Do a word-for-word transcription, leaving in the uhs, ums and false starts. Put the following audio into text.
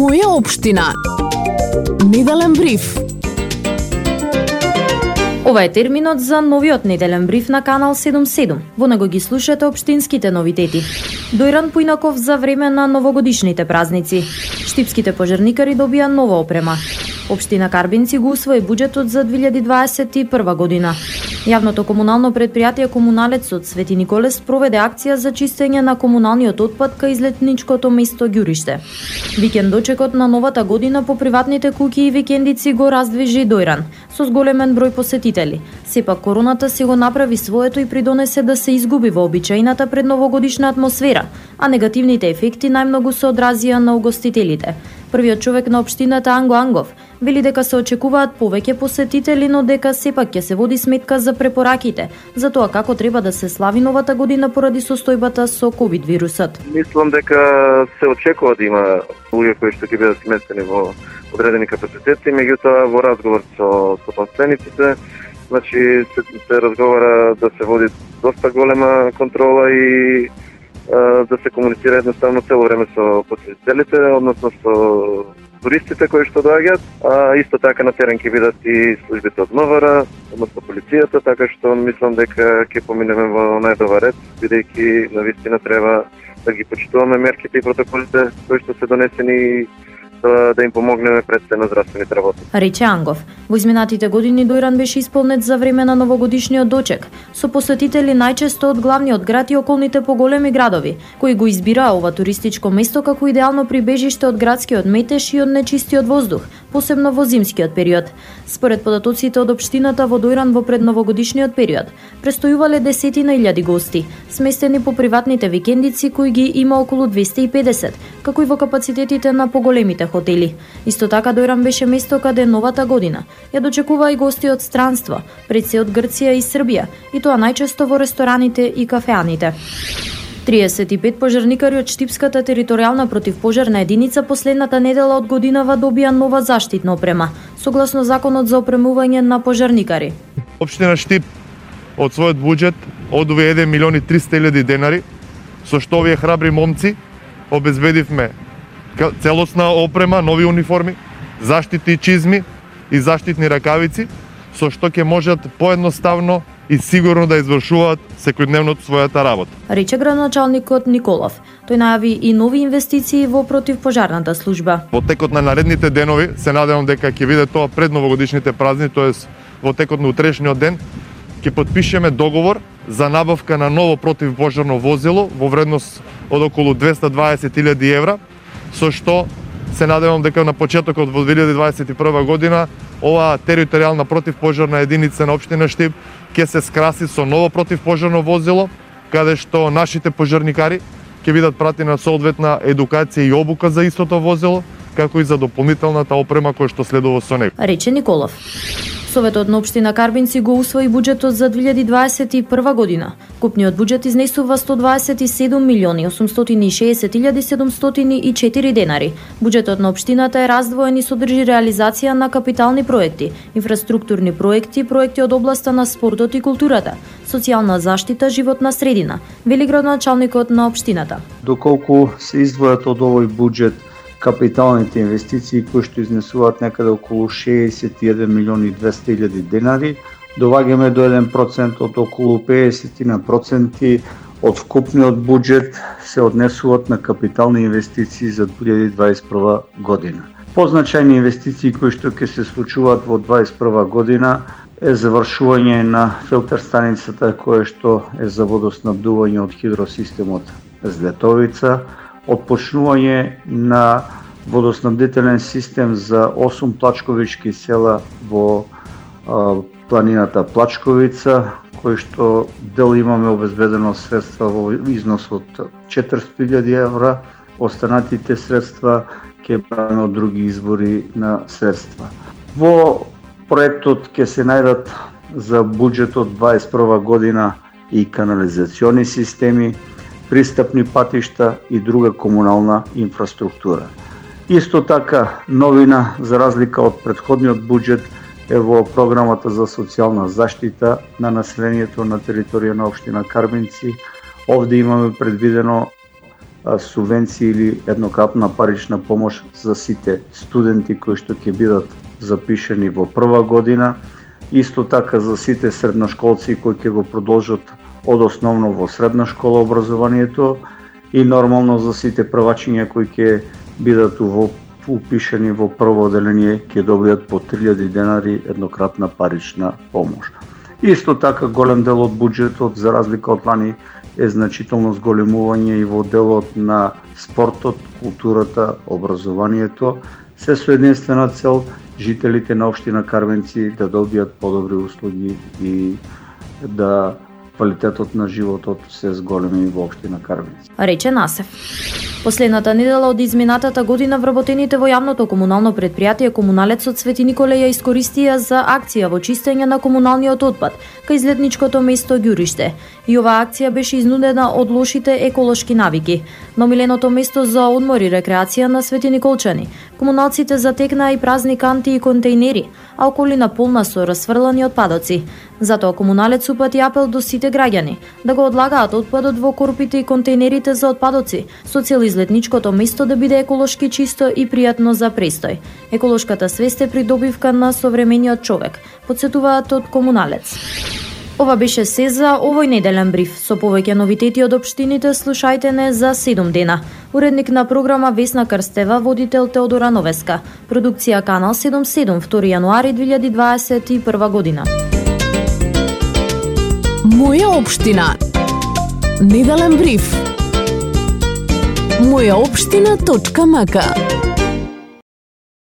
Моја општина. Неделен бриф. Ова е терминот за новиот неделен бриф на Канал седумдесет и седум. Во него ги слушате општинските новитети. Дојран поинаков за време на новогодишните празници. Штипските пожарникари добија нова опрема. Општина Карбинци го усвои буџетот за две илјади дваесет и прва година. Јавното комунално предпријатие Комуналецот Свети Николе спроведе акција за чистење на комуналниот отпад кај излетничкото место Ѓуриште. Викендочекот на новата година по приватните куќи и викендици го раздвижи Дојран, со зголемен број посетители. Сепак короната си го направи своето и придонесе да се изгуби вообичаената предновогодишна атмосфера, а негативните ефекти најмногу се одразија на угостителите. Првиот човек на општината Анго Ангов вели дека се очекуваат повеќе посетители, но дека сепак ќе се води сметка за препораките за тоа како треба да се слави новата година поради состојбата со ковид вирусот. Мислам дека се очекува да има луѓе кои што ќе бидат сместени во одредени капацитети, меѓутоа во разговор со собствениците, значи се, се разговара да се води доста голема контрола и да се комуницира едноставно цело време со посетителите, односно со туристите кои што доаѓаат, а исто така на терен ќе бидат и службите од МВР, односно полицијата, така што мислам дека ќе поминеме во најдобар ред, бидејќи навистина треба да ги почитуваме мерките и протоколите кои што се донесени да, да им помогнеме пред се на здравствените работници. Рече Ангов, во изминатите години Дојран беше исполнет за време на новогодишниот дочек, со посетители најчесто од главниот град и околните поголеми градови, кои го избираа ова туристичко место како идеално прибежиште од градскиот метеж и од нечистиот воздух, посебно во зимскиот период. Според податоците од општината во Дојран во предновогодишниот период, престојувале десетина илјади гости, сместени по приватните викендици кои ги има околу двесте и педесет, како и во капацитетите на поголемите хотели. Исто така Дојран беше место каде новата година ја дочекува и гости од странство, пред се од Грција и Србија, и тоа најчесто во рестораните и кафеаните. триесет и пет пожарникари од Штипската територијална противпожарна единица последната недела од годинава добија нова заштитна опрема, согласно законот за опремување на пожарникари. Општина Штип од својот буџет одвои еден милион и триста илјади денари, со што овие храбри момци обезбедивме целосна опрема, нови униформи, заштитни чизми и заштитни ракавици, со што ќе можат поедноставно и сигурно да извршуваат секојдневното својата работа. Рече градоначалникот Николов. Тој најави и нови инвестиции во противпожарната служба. Во текот на наредните денови се надевам дека ќе биде тоа пред новогодишните празници, тоест во текот на утрешниот ден, ќе потпишеме договор за набавка на ново противпожарно возило во вредност од околу двесте и дваесет илјади евра, со што се надевам дека на почетокот во две илјади дваесет и прва година оваа територијална противпожарна единица на општина Штип ќе се скраси со ново противпожарно возило, каде што нашите пожарникари ќе бидат пратени на соодветна едукација и обука за истото возило, како и за дополнителната опрема која што следува со него. Рече Николов. Советот на општина Карбинци го усвои буџетот за две илјади дваесет и прва година. Купниот буџет изнесува сто дваесет и седум милиони осумстотини и шеесет илјади седумстотини и четири денари. Буџетот на општината е раздвоен и содржи реализација на капитални проекти, инфраструктурни проекти, проекти од областа на спортот и културата, социјална заштита, животна средина, вели градоначалникот на општината. Доколку се издвојат од овој буџет капиталните инвестиции кои што изнесуваат некаде околу шеесет и еден милион и двесте илјади денари, доваѓаме до еден процент од околу педесет проценти од вкупниот буџет се однесуваат на капитални инвестиции за две илјади дваесет и прва година. Позначајни инвестиции кои што ќе се случуваат во дваесет и прва година е завршување на филтер станицата која што е за водоснабдување од хидросистемот Злетовица, отпочнување на водоснабдителен систем за осум плачковички села во а, планината Плачковица, кој што дел имаме обезбедено средства во износ од четиристотини илјади евра, останатите средства ќе брааме од други извори на средства. Во проектот ќе се најдат за буџетот дваесет и прва година и канализациони системи, пристапни патишта и друга комунална инфраструктура. Исто така, новина за разлика од претходниот буџет е во програмата за социјална заштита на населението на територија на општина Карбинци. Овде имаме предвидено субвенција или еднократна парична помош за сите студенти кои што ќе бидат запишени во прва година, исто така за сите средношколци кои ќе го продолжат од основно во средна школа образованието и нормално за сите првачиња кои ќе бидат упишени во прво одделение ќе добијат по три илјади денари еднократна парична помош. Исто така голем дел од буџетот за разлика од лани е значително зголемување и во делот на спортот, културата, образованието, се со единствена цел жителите на општина Карвенци да добијат подобри услуги и да квалитетот на животот се зголеми во општина Карвенци. Рече Насев. Последната недела од изминатата година вработените во јавното комунално предпријатие Комуналецот Свети Николе ја искористија за акција во чистење на комуналниот отпад кај излетничкото место Ѓуриште. И оваа акција беше изнудена од лошите еколошки навики. На омиленото место за одмор и рекреација на Свети Николчани, комуналците затекнаа и празни канти и контејнери, а околина полна со расфрлани отпадоци. Затоа Комуналец упати апел до сите граѓани да го одлагаат отпадот во корпите и контејнерите за отпадоци, со цел излетничкото место да биде еколошки чисто и пријатно за престој. Еколошката свест е придобивка на современиот човек, потсетуваат од Комуналец. Ова беше се за овој неделен бриф. Со повеќе новитети од општините слушајте не за седум дена. Уредник на програма Весна Крстева, водител Теодора Новеска. Продукција Канал седумдесет и седум, втори јануари две илјади дваесет и прва година. Моја општина. Неделен бриф. моја општина точка м к